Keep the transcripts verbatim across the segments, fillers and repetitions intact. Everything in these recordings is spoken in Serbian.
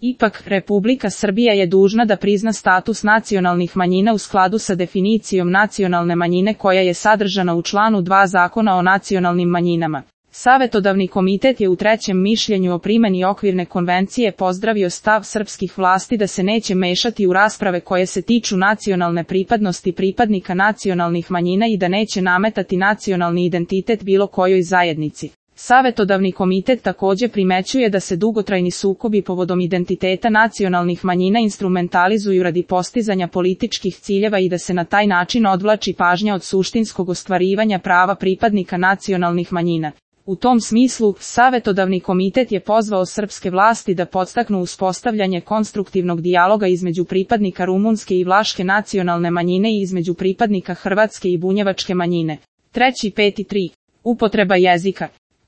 Ipak, Republika Srbija je dužna da prizna status nacionalnih manjina u skladu sa definicijom nacionalne manjine koja je sadržana u članu dva Zakona o nacionalnim manjinama. Savetodavni komitet je u trećem mišljenju o primjeni okvirne konvencije pozdravio stav srpskih vlasti da se neće mešati u rasprave koje se tiču nacionalne pripadnosti pripadnika nacionalnih manjina i da neće nametati nacionalni identitet bilo kojoj zajednici. Savetodavni komitet također primećuje da se dugotrajni sukobi povodom identiteta nacionalnih manjina instrumentalizuju radi postizanja političkih ciljeva i da se na taj način odvlači pažnja od suštinskog ostvarivanja prava pripadnika nacionalnih manjina. U tom smislu, Savetodavni komitet je pozvao srpske vlasti da podstaknu uspostavljanje konstruktivnog dijaloga između pripadnika rumunske i vlaške nacionalne manjine i između pripadnika hrvatske i bunjevačke manjine. Treći peti tri. Upotreba jezika.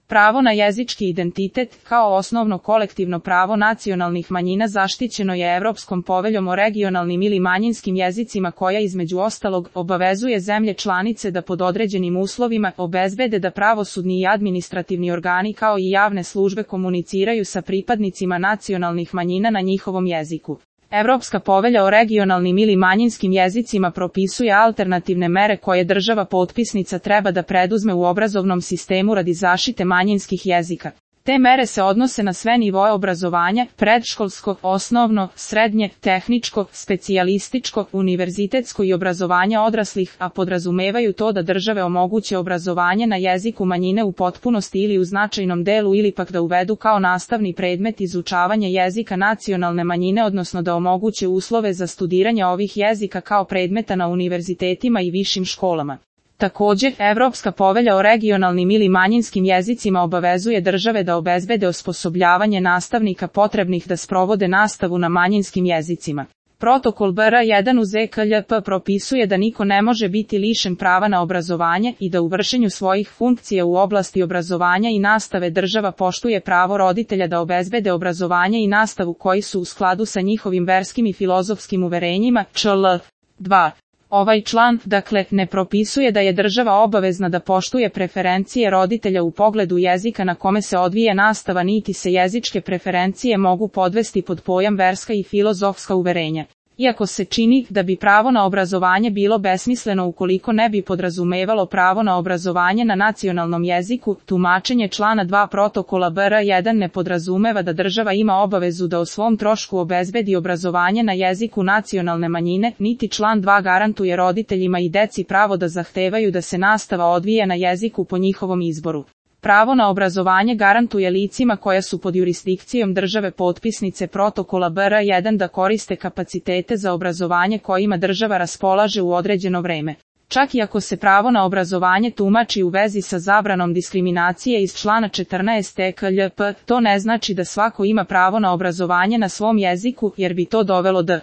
Pravo na jezički identitet, kao osnovno kolektivno pravo nacionalnih manjina zaštićeno je Evropskom poveljom o regionalnim ili manjinskim jezicima koja između ostalog obavezuje zemlje članice da pod određenim uslovima obezbede da pravosudni i administrativni organi kao i javne službe komuniciraju sa pripadnicima nacionalnih manjina na njihovom jeziku. Evropska povelja o regionalnim ili manjinskim jezicima propisuje alternativne mere koje država potpisnica treba da preduzme u obrazovnom sistemu radi zaštite manjinskih jezika. Te mere se odnose na sve nivoe obrazovanja, predškolsko, osnovno, srednje, tehničko, specijalističko, univerzitetsko i obrazovanje odraslih, a podrazumevaju to da države omoguće obrazovanje na jeziku manjine u potpunosti ili u značajnom delu ili pak da uvedu kao nastavni predmet izučavanje jezika nacionalne manjine, odnosno da omoguće uslove za studiranje ovih jezika kao predmeta na univerzitetima i višim školama. Također, Evropska povelja o regionalnim ili manjinskim jezicima obavezuje države da obezbede osposobljavanje nastavnika potrebnih da sprovode nastavu na manjinskim jezicima. Protokol B R jedan uz E K L P propisuje da niko ne može biti lišen prava na obrazovanje i da u vršenju svojih funkcija u oblasti obrazovanja i nastave država poštuje pravo roditelja da obezbede obrazovanje i nastavu koji su u skladu sa njihovim verskim i filozofskim uverenjima. Č L dva. Ovaj član, dakle, ne propisuje da je država obavezna da poštuje preferencije roditelja u pogledu jezika na kome se odvija nastava, niti se jezičke preferencije mogu podvesti pod pojam verska i filozofska uverenja. Iako se čini da bi pravo na obrazovanje bilo besmisleno ukoliko ne bi podrazumevalo pravo na obrazovanje na nacionalnom jeziku, tumačenje člana dva protokola B R jedan ne podrazumeva da država ima obavezu da o svom trošku obezbedi obrazovanje na jeziku nacionalne manjine, niti član dva garantuje roditeljima i deci pravo da zahtevaju da se nastava odvija na jeziku po njihovom izboru. Pravo na obrazovanje garantuje licima koja su pod jurisdikcijom države potpisnice protokola B R jedan da koriste kapacitete za obrazovanje kojima država raspolaže u određeno vreme. Čak i ako se pravo na obrazovanje tumači u vezi sa zabranom diskriminacije iz člana četrnaest E K L P, to ne znači da svako ima pravo na obrazovanje na svom jeziku, jer bi to dovelo do